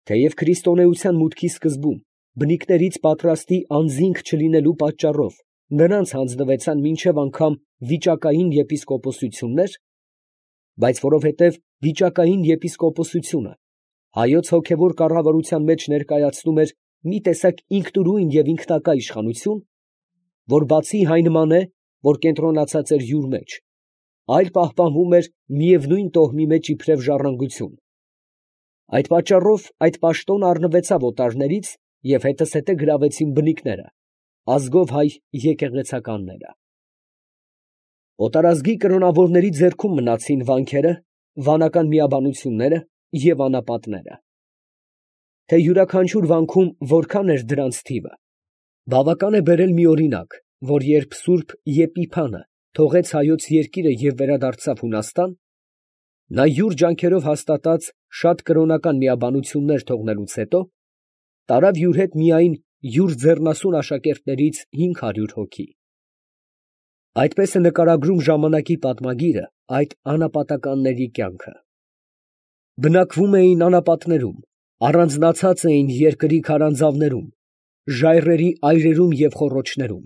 Թեև քրիստոնեության մուտքի սկզբում բնիկներից պատրաստի անձինք չլինելու պատճառով նրանց հանձնվեցան մինչև անգամ վիճակային եպիսկոպոսություններ, բայց որովհետև վիճակային եպիսկոպոսությունը հայոց հոգևոր կառավարության մեջ ներկայացնում էր մի տեսակ ինքնուրույն և ինքնակա իշխանություն, որ բացի այն նման է, որ կենտրոնացած էր յուր մեջ, այլ պահպանվում էր միևնույն տոհմի մեջ իբրև ժառանգություն. այդ պատճառով այդ պաշտոնը առնվեցավ օտարներից և հետզհետե գրավեցին բնիկները, ազգով հայ եկեղեցականները։ Օտարազգի կրոնավորների ձեռքում մնացին վանքերը, վանական միաբանությունները և անապատները։ Թե յուրաքանչյուր վանքում որքան էր դրանց թիվը, բավական է բերել մի օրինակ, որ երբ սուրբ Եփիփանը թողեց հայոց երկիրը և վերադարձավ Հունաստան, նա յուր ջանքերով հաստատած շատ կրոնական միաբանություններ թողնելուց հետո, տարավ յուր հետ միայն յուր ձեռնասուն աշակերտներից 500 հոգի։ Այդպես է նկարագրում ժամանակի պատմագիրը այդ անապատականների կյանքը։ Բնակվում էին անապատներում, առանձնացած էին երկրի քարանձավներում, ժայռերի այրերում և խոռոչներում։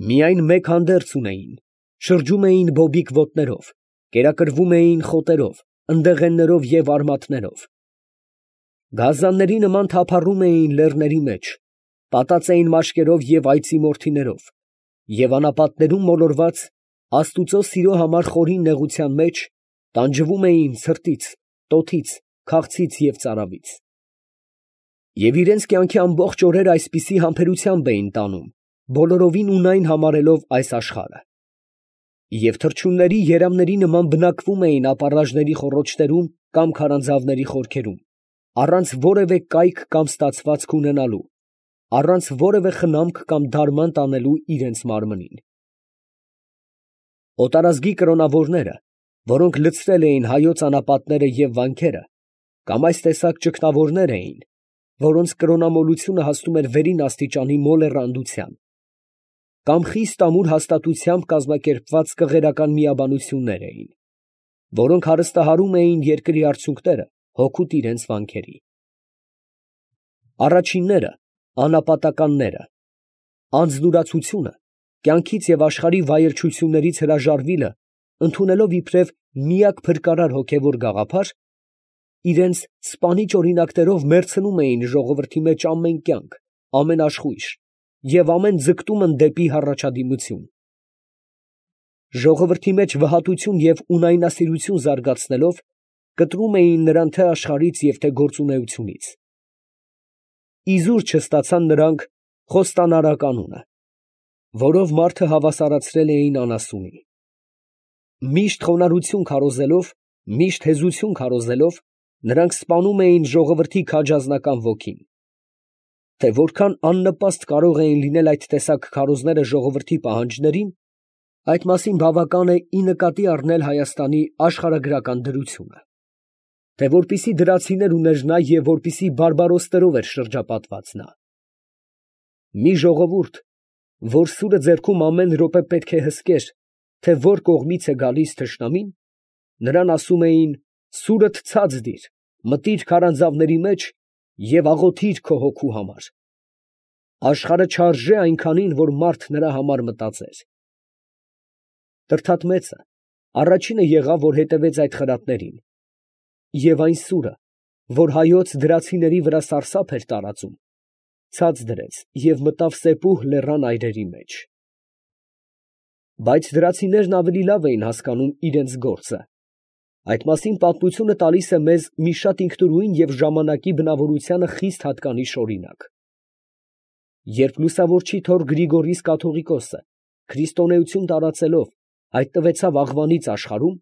Միայն մեկ հանդերձ ունեին, շրջում էին բոբիկ ոտներով, կերակրվում էին խոտերով, ընդեղեններով և արմատներով։ Գազանների նման թափառում էին լեռների մեջ, պատած էին մաշկերով և այծի մորթիներով, և անապատներում մոլորված, աստուծո սիրո համար խորին նեղության մեջ, տանջվում էին ցրտից, տոթից, քաղցից և ծարավից։ Եվ իրանց կյանքի ամբողջ օրերը այսպիսի համբերությամբ էին տանում, բոլորովին ունայն համարելով այս աշխարհը։ Եվ թռչունների երամների նման բնակվում էին ապառաժների խոռոչներում կամ քարանձավների խորքերում, առանց որևէ կայք կամ ստացվածք ունենալու, առանց որևէ խնամք կամ դարման տանելու իրենց մարմնին։ Օտարազգի կրոնավորները, որոնք լցրել էին հայոց անապատները և վանքերը, կամ այս տեսակ ճգնավորներ էին, որոնց կրոնամոլությունը հասնում էր վերին աստիճանի մոլեռանդության, կամ խիստ ամուր հաստատությամբ կազմակերպված կղերական միաբանություններ էին, որոնք հարստահարում էին երկրի արցունքները հօգուտ իրենց վանքերի։ Առաջինները, անապատականները, անձնուրացությունը, կյանքից և աշխարհի վայրչություններից հրաժարվիլը ընդունելով իբրև միակ փրկարար հոգևոր գաղափար, իրենց սպանիչ օրինակներով մեռցնում էին ժողովրդի մեջ ամեն կյանք, ամեն աշխույժ և ամեն ձգտումն դեպի հառաջադիմություն։ Ժողովրդի մեջ վհատություն և ունայնասիրություն զարգացնելով, կտրում էին նրան թե աշխարհից և թե գործունեությունից։ Իզուր չստացան նրանք խոստանարակ անունը, որով մարդը հավասարացրել էին անասունի։ Միշտ խոնարհություն քարոզելով, միշտ հեզություն քարոզելով, նրանք սպանում էին ժողովրդի քաջազնական ոգին։ Թե որքան աննպաստ կարող էին լինել այդ տեսակ քարոզները ժողովրդի պահանջներին, այդ մասին բավական է ի նկատի առնել Հայաստանի աշխարհագրական դրությունը, թե որպիսի դրացիներ ուներ նա և որպիսի բարբարոսներով էր շրջապատված նա։ Մի ժողովուրդ, որ սուրը ձեռքում ամեն րոպե պետք է հսկեր, թե որ կողմից է գալիս թշնամին, նրան ասում էին. «Սուրդ ցած դիր, մտիր քարանձավների մեջ և աղոթիր քո հոգու համար»։ Աշխարհը չարժե այնքանին, որ մարդ նրա համար մտածեր։ Տրդատմեցը առաջինը եղավ, որ հետևեց այդ խրատներին, և այն սուրը, որ հայոց դրացիների վրա սարսափ էր տարածում, ցած դրեց և մտավ Սեպուհ լեռան այրերի մեջ։ Բայց դրացիներն ավելի լավ էին հասկանում իրենց գործը։ Այդ մասին պատմությունը տալիս է մեզ մի շատ ինքնուրույն և ժամանակի բնավորությանը խիստ հատկանիշ օրինակ։ Երբ լուսավորչի թոռ Գրիգորիս կաթողիկոսը քրիստոնեություն տարածելով հայտնվեցավ աղվանից աշխարհում,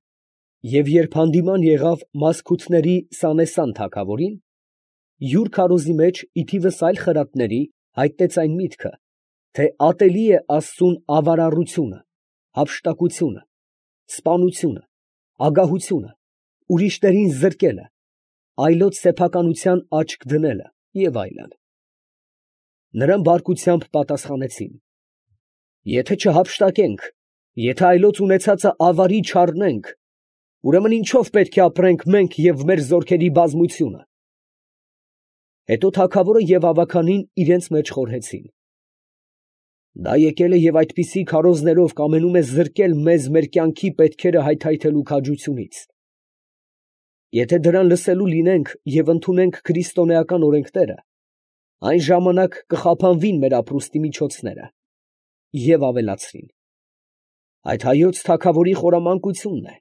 և երբ հանդիման եղավ Մասքութների Սանեսան թագավորին, յուր քարոզի մեջ ի թիվս այլ խրատների հայտնեց այն միտքը, թե ատելի է աստծուն ավարառությունը, հափշտակությունը, սպանությունը, ագահությունը, ուրիշներին զրկելը, այլոց սեփականության աչք դնելը և այլն։ Նրան բարկությամբ պատասխանեցին. «Եթե չհափշտակենք, եթե այլոց ունեցածը ավարի չառնենք, ուրեմն ինչո՞վ պետք է ապրենք մենք և մեր զորքերի բազմությունը»։ Հետո թագավորը և ավագանին իրենց մեջ խորհեցին. «Դա եկել է և այդպիսի քարոզներով կամենում է զրկել մեզ մեր կյանքի պետքերը հայթայթելու քաջությունից։ Եթե դրան լսելու լինենք և ընդունենք քրիստոնեական օրենքները, այն ժամանակ կխափանվին մեր ապրուստի միջոցները»։ Եվ ավելացրին. «Այդ հայոց թագավորի խորամանկությունն է.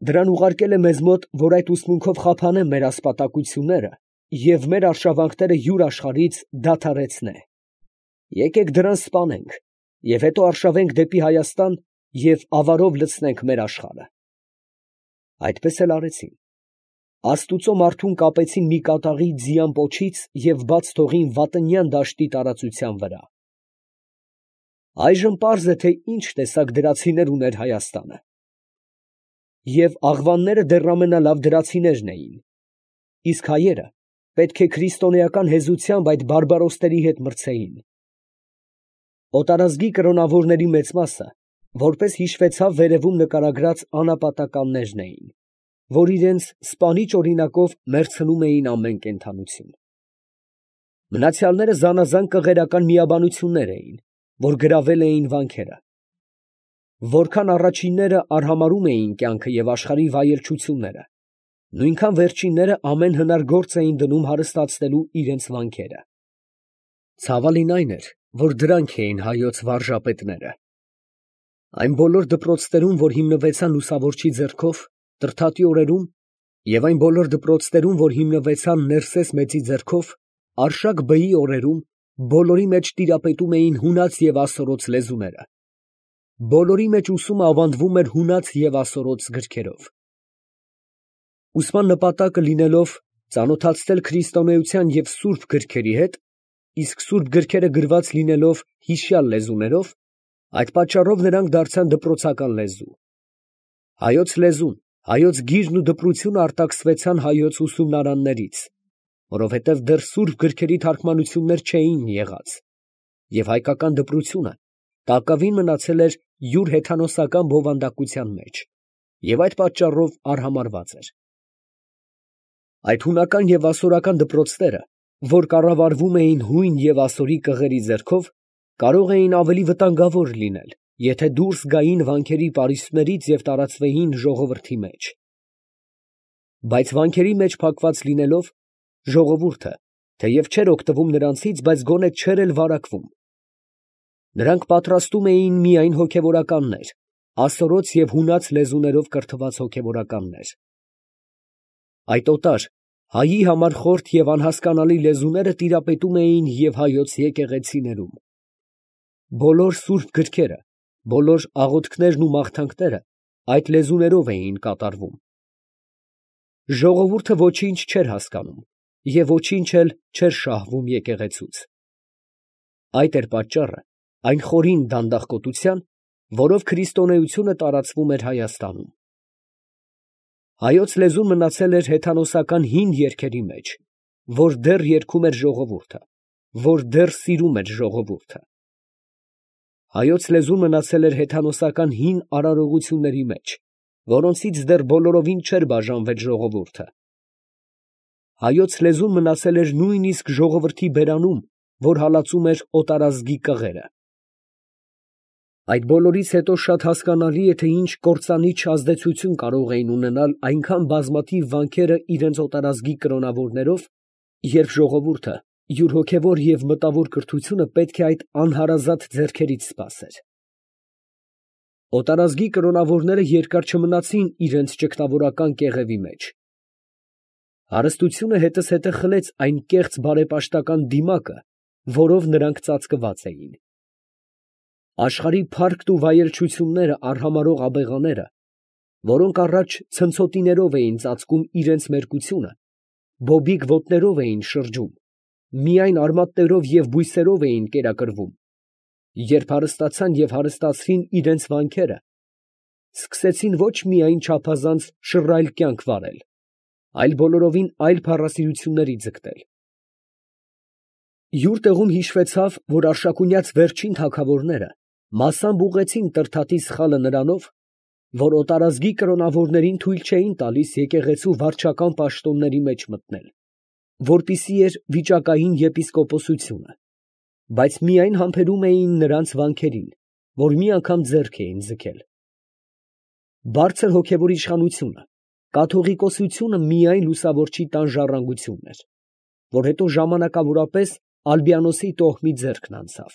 դրան ուղարկել է մեզ մոտ, որ այդ ուսմունքով խափանե մեր ասպատակությունները և մեր արշավանքները յուր աշխարհից դադարեցնե։ Եկեք դրան սպանենք և հետո արշավենք դեպի Հայաստան և ավարով լցնենք մեր աշխարհը»։ Այդպես էլ արեցին. աստուծո մարդուն կապեցին մի կատաղի ձիան պոչից և բաց թողին Վատնյան դաշտի տարածության վրա։ Այժմ պարզ է, թե ինչ տեսակ դրացիներ ուներ Հայաստանը։ Եվ աղվանները դեռ ամենալավ դրացիներն էին, իսկ հայերը պետք է քրիստոնեական հեզությամբ այդ բարբարոսների հետ մրցեին։ Օտարազգի կրոնավորների մեծ մասը, որպես հիշվեցավ վերևում նկարագրած անապատականներն էին, որ իրենց սպանիչ օրինակով մեռցնում էին ամեն կենդանություն։ Մնացյալները զանազան կղերական միաբանություններ էին, որ գրավել էին վանքերը։ Որքան առաջինները արհամարհում էին կյանքը և աշխարհի վայելչությունները, նույնքան վերջինները ամեն հնար գործ էին դնում հարստացնելու իրենց վանքերը։ Ցավալին այն էր, որ դրանք էին հայոց վարժապետները։ Այն բոլոր դպրոցներում, որ հիմնվեցան լուսավորչի ձեռքով Տրդատի օրերում, և այն բոլոր դպրոցներում, որ հիմնվեցան Ներսես մեծի ձեռքով Արշակ բեի օրերում, բոլորի մեջ տիրապետում էին հունաց և ասորոց լեզուները։ Բոլորի մեջ ուսումը ավանդվում էր հունաց և ասորոց գրքերով։ Ուսման նպատակը լինելով ծանոթացնել քրիստոնեության և սուրբ գրքերի հետ, իսկ սուրբ գրքերը գրված լինելով հիշյալ լեզուներով, այդ պատճառով նրանք դարձան դպրոցական լեզու։ Հայոց լեզուն, հայոց գիրն ու դպրությունը արտաքսվեցան հայոց ուսումնարաններից, որովհետև դեռ սուրբ գրքերի թարգմանություններ չէին եղած, և հայկական դպրությունը տակավին մնացել էր յուր հեթանոսական բովանդակության մեջ և այդ պատճառով արհամարհված էր։ Այդ հունական և ասորական դպրոցները, որ կառավարվում էին հույն և ասորի կղերի ձեռքով, կարող էին ավելի վտանգավոր լինել, եթե դուրս գային վանքերի պարիսպներից և տարածվեին ժողովրդի մեջ։ Բայց վանքերի մեջ փակված լինելով, ժողովուրդը, թեև չէր օգտվում նրանցից, բայց գոնե չէր էլ վարակվում։ Նրանք պատրաստում էին միայն հոգևորականներ, ասորոց և հունաց լեզուներով կրթված հոգևորականներ։ Այդ օտար, հայի համար խորթ և անհասկանալի լեզուները տիրապետում էին և հայոց եկեղեցիներում։ Բոլոր սուրբ գրքերը, բոլոր աղոթքներն ու մաղթանքները այդ լեզուներով էին կատարվում։ Ժողովուրդը ոչինչ չէր հասկանում և ոչինչ էլ չէր շահվում եկեղեցուց։ Այդ էր պատճառը այն խորին դանդաղկոտության, որով քրիստոնեությունը տարածվում էր Հայաստանում։ Հայոց լեզուն մնացել էր հեթանոսական հին երգերի մեջ, որ դեռ երգում էր ժողովուրդը, որ դեռ սիրում էր ժողովուրդը։ Հայոց լեզուն մնացել էր հեթանոսական հին արարողությունների մեջ, որոնցից դեռ բոլորովին չէր բաժանվել ժողովուրդը։ Հայոց լեզուն մնացել էր նույնիսկ ժողովրդի բերանում, որ հալածում էր օտարազգի կղերը։ Այդ բոլորից հետո շատ հասկանալի է, թե ինչ կործանիչ ազդեցություն կարող էին ունենալ այնքան բազմաթիվ վանքերը իրենց օտարազգի կրոնավորներով, երբ ժողովուրդը յուր հոգևոր և մտավոր կրթությունը պետք է այդ անհարազատ ձեռքերից սպասեր։ Օտարազգի կրոնավորները երկար չմնացին իրենց ճգնավորական կեղևի մեջ։ Հարստությունը հետզհետե խլեց այն կեղծ բարեպաշտական դիմակը, որով նրանք ծածկված էին։ Աշխարհի փառքն ու վայելչությունները արհամարհող աբեղաները, որոնք առաջ ցնցոտիներով էին ծածկում իրենց մերկությունը, բոբիկ ոտներով էին շրջում, միայն արմատներով և բույսերով էին կերակրվում, երբ հարստացան և հարստացրին իրենց վանքերը, սկսեցին ոչ միայն չափազանց շռայլ կյանք վարել, այլ բոլորովին այլ փառասիրությունների ձգտել։ Յուր տեղում հիշվեցավ, որ արշակունյաց վերջին թագավորները մասամբ ուղղեցին Տրդատի սխալը նրանով, որ օտարազգի կրոնավորներին թույլ չէին տալիս եկեղեցու վարչական պաշտոնների մեջ մտնել, որպիսի էր վիճակային եպիսկոպոսությունը, բայց միայն համբերում էին նրանց վանքերին, որ մի անգամ ձեռք էին ձգել։ Բարձր հոգևոր իշխանությունը, կաթողիկոսությունը միայն լուսավորչի տան ժառանգությունն էր, որ հետո ժամանակավորապես Ալբիանոսի տոհմի ձեռքն անցավ։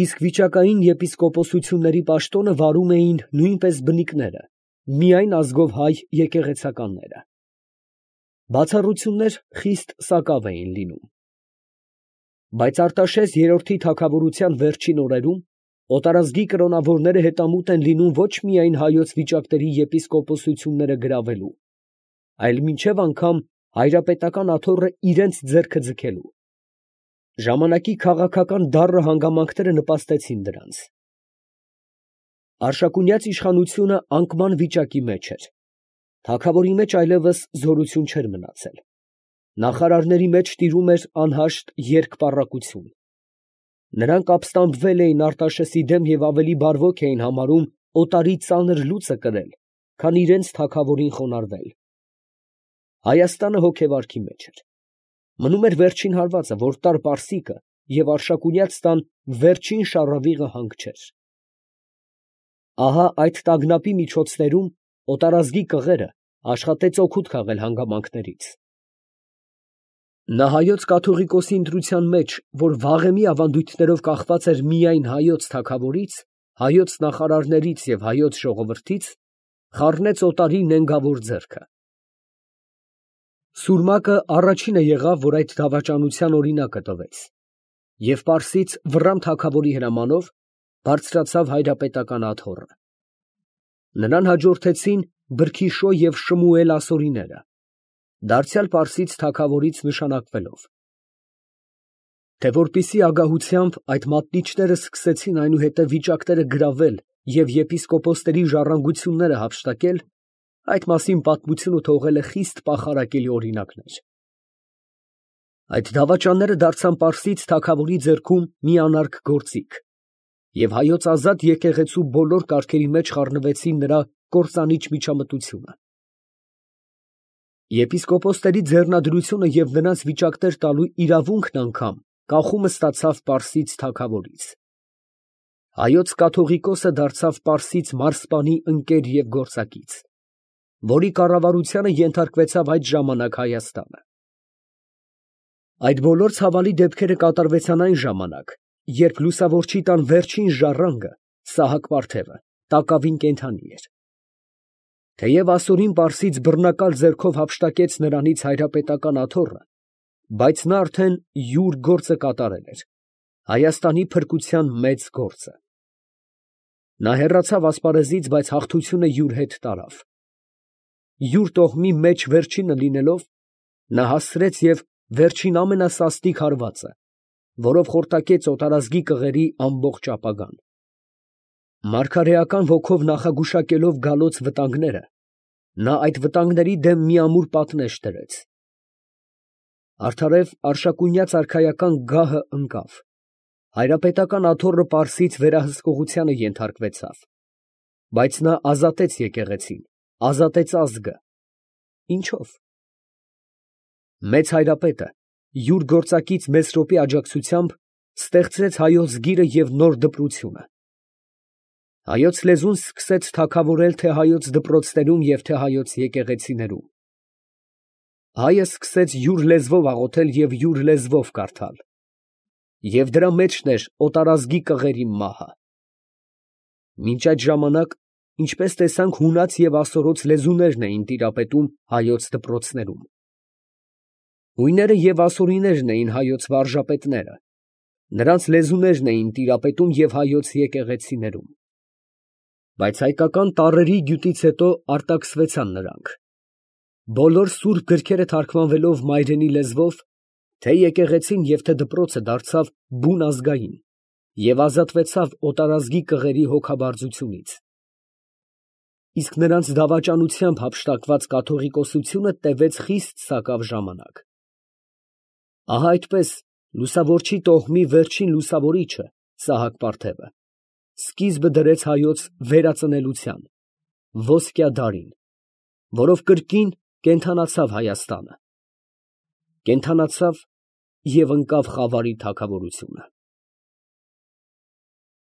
Իսկ վիճակային եպիսկոպոսությունների պաշտոնը վարում էին նույնպես բնիկները, միայն ազգով հայ եկեղեցականները։ Բացառություններ խիստ սակավ էին լինում։ Բայց Արտաշես երրորդի թագավորության վերջին օրերում օտարազգի կրոնավորները հետամուտ են լինում ոչ միայն հայոց վիճակների եպիսկոպոսությունները գրավելու, այլ մինչև անգամ հայրապետական աթոռը իրենց ձեռքը ձգելու։ Ժամանակի քաղաքական դառը հանգամանքները նպաստեցին դրանց։ Արշակունյաց իշխանությունը անկման վիճակի մեջ էր։ Թագավորի մեջ այլևս զորություն չէր մնացել։ Նախարարների մեջ տիրում էր անհաշտ երկպառակություն։ Նրանք ապստամբվել էին Արտաշեսի դեմ և ավելի բարվոք էին համարում օտարի ծանր լուծը կրել, քան իրենց թագավորին խոնարհվել։ Հայաստանը հոգեվարքի մեջ էր։ Մնում էր վերջին հարվածը, որ տար Պարսիկը և Արշակունյաց տան վերջին շառավիղը հանգչեր։ Ահա այդ տագնապի միջոցներում օտարազգի կղերը աշխատեց օգուտ քաղել հանգամանքներից։ Նա հայոց կաթողիկոսի ընտրության մեջ, որ վաղեմի ավանդույթներով կախված էր միայն հայոց թագավորից, հայոց նախարարներից և հայոց ժողովրդից, խառնեց օտարի նենգավոր ձեռքը։ Սուրմակը առաջինը եղավ, որ այդ դավաճանության օրինակը տվեց, և Պարսից Վռամ թագավորի հրամանով բարձրացավ հայրապետական աթոռը։ Նրան հաջորդեցին Բրքիշո և Շմուել ասորիները, դարձյալ պարսից թագավորից նշանակվելով։ Թե որպեսզի ագահությամբ այդ մատնիչները սկսեցին այնուհետև վիճակները գրավել և եպիսկոպոսների ժառանգությունները հափշտակել, այդ մասին պատմությունը թողել է խիստ պախարակելի օրինակներ։ Այդ դավաճանները դարձան պարսից թագավորի ձեռքում մի անարգ գործիք, և հայոց ազատ եկեղեցու բոլոր կարգերի մեջ խառնվեցին նրա կործանիչ միջամտությունը։ Եպիսկոպոսների ձեռնադրությունը և նրանց վիճակներ տալու իրավունքն անգամ կախումը ստացավ պարսից թագավորից։ Հայոց կաթողիկոսը դարձավ պարսից մարզպանի ընկեր և գործակից, որի կառավարությանը ենթարկվեցավ այդ ժամանակ Հայաստանը։ Այդ բոլոր ցավալի դեպքերը կատարվեցան այն ժամանակ, երբ լուսավորչի տան վերջին ժառանգը Սահակ պարթևը տակավին կենդանի էր։ Թեև ասորին պարսից բռնակալ ձեռքով հափշտակեց նրանից հայրապետական աթոռը, բայց նա արդեն յուր գործը կատարել էր, Հայաստանի փրկության մեծ գործը։ Նա հեռացավ ասպարեզից, բայց հաղթությունը յուր հետ տարավ։ Յուր տոհմի մեջ վերջինը լինելով, նա հասցրեց և վերջին ամենասաստիկ հարվածը, որով խորտակեց օտարազգի կղերի ամբողջ ապագան։ Մարգարեական ոգով նախագուշակելով գալոց վտանգները, նա այդ վտանգների դեմ մի ամուր պատնեշ դրեց։ Արդարև Արշակունյաց արքայական գահը ընկավ, հայրապետական աթոռը պարսից վերահսկողությանը ենթարկվեցավ, բայց նա ազատեց եկեղեցին, ազատեց ազգը։ Ինչո՞վ։ Մեծ հայրապետը յուր գործակից Մեսրոպի աջակցությամբ ստեղծեց հայոց գիրը և նոր դպրությունը։ Հայոց լեզուն սկսեց թագավորել թե հայոց դպրոցներում և թե հայոց եկեղեցիներում։ Հայը սկսեց յուր լեզվով աղոթել և յուր լեզվով կարդալ։ Եվ դրա մեջն էր օտարազգի կղերի մահը։ Մինչ այդ ժամանակ, ինչպես տեսանք, հունաց և ասորոց լեզուներն էին տիրապետում հայոց դպրոցներում։ Հույները և ասորիներն էին հայոց վարժապետները, նրանց լեզուներն էին տիրապետում և հայոց եկեղեցիներում։ Բայց հայկական տառերի գյուտից հետո արտաքսվեցան նրանք։ Բոլոր սուրբ գրքերը թարգմանվելով մայրենի լեզվով, թե եկեղեցին և թե դպրոցը դարձավ բուն ազգային և ազատվեցավ օտարազգի կղերի հոգաբարձությունից։ Իսկ նրանց դավաճանությամբ հափշտակված կաթողիկոսությունը տևեց խիստ սակավ ժամանակ։ Ահա այդպես լուսավորչի տոհմի վերջին լուսավորիչը Սահակ պարթևը սկիզբը դրեց հայոց վերածնելության, ոսկյա դարին, որով կրկին կենդանացավ Հայաստանը։ Կենդանացավ և ընկավ խավարի թագավորությունը։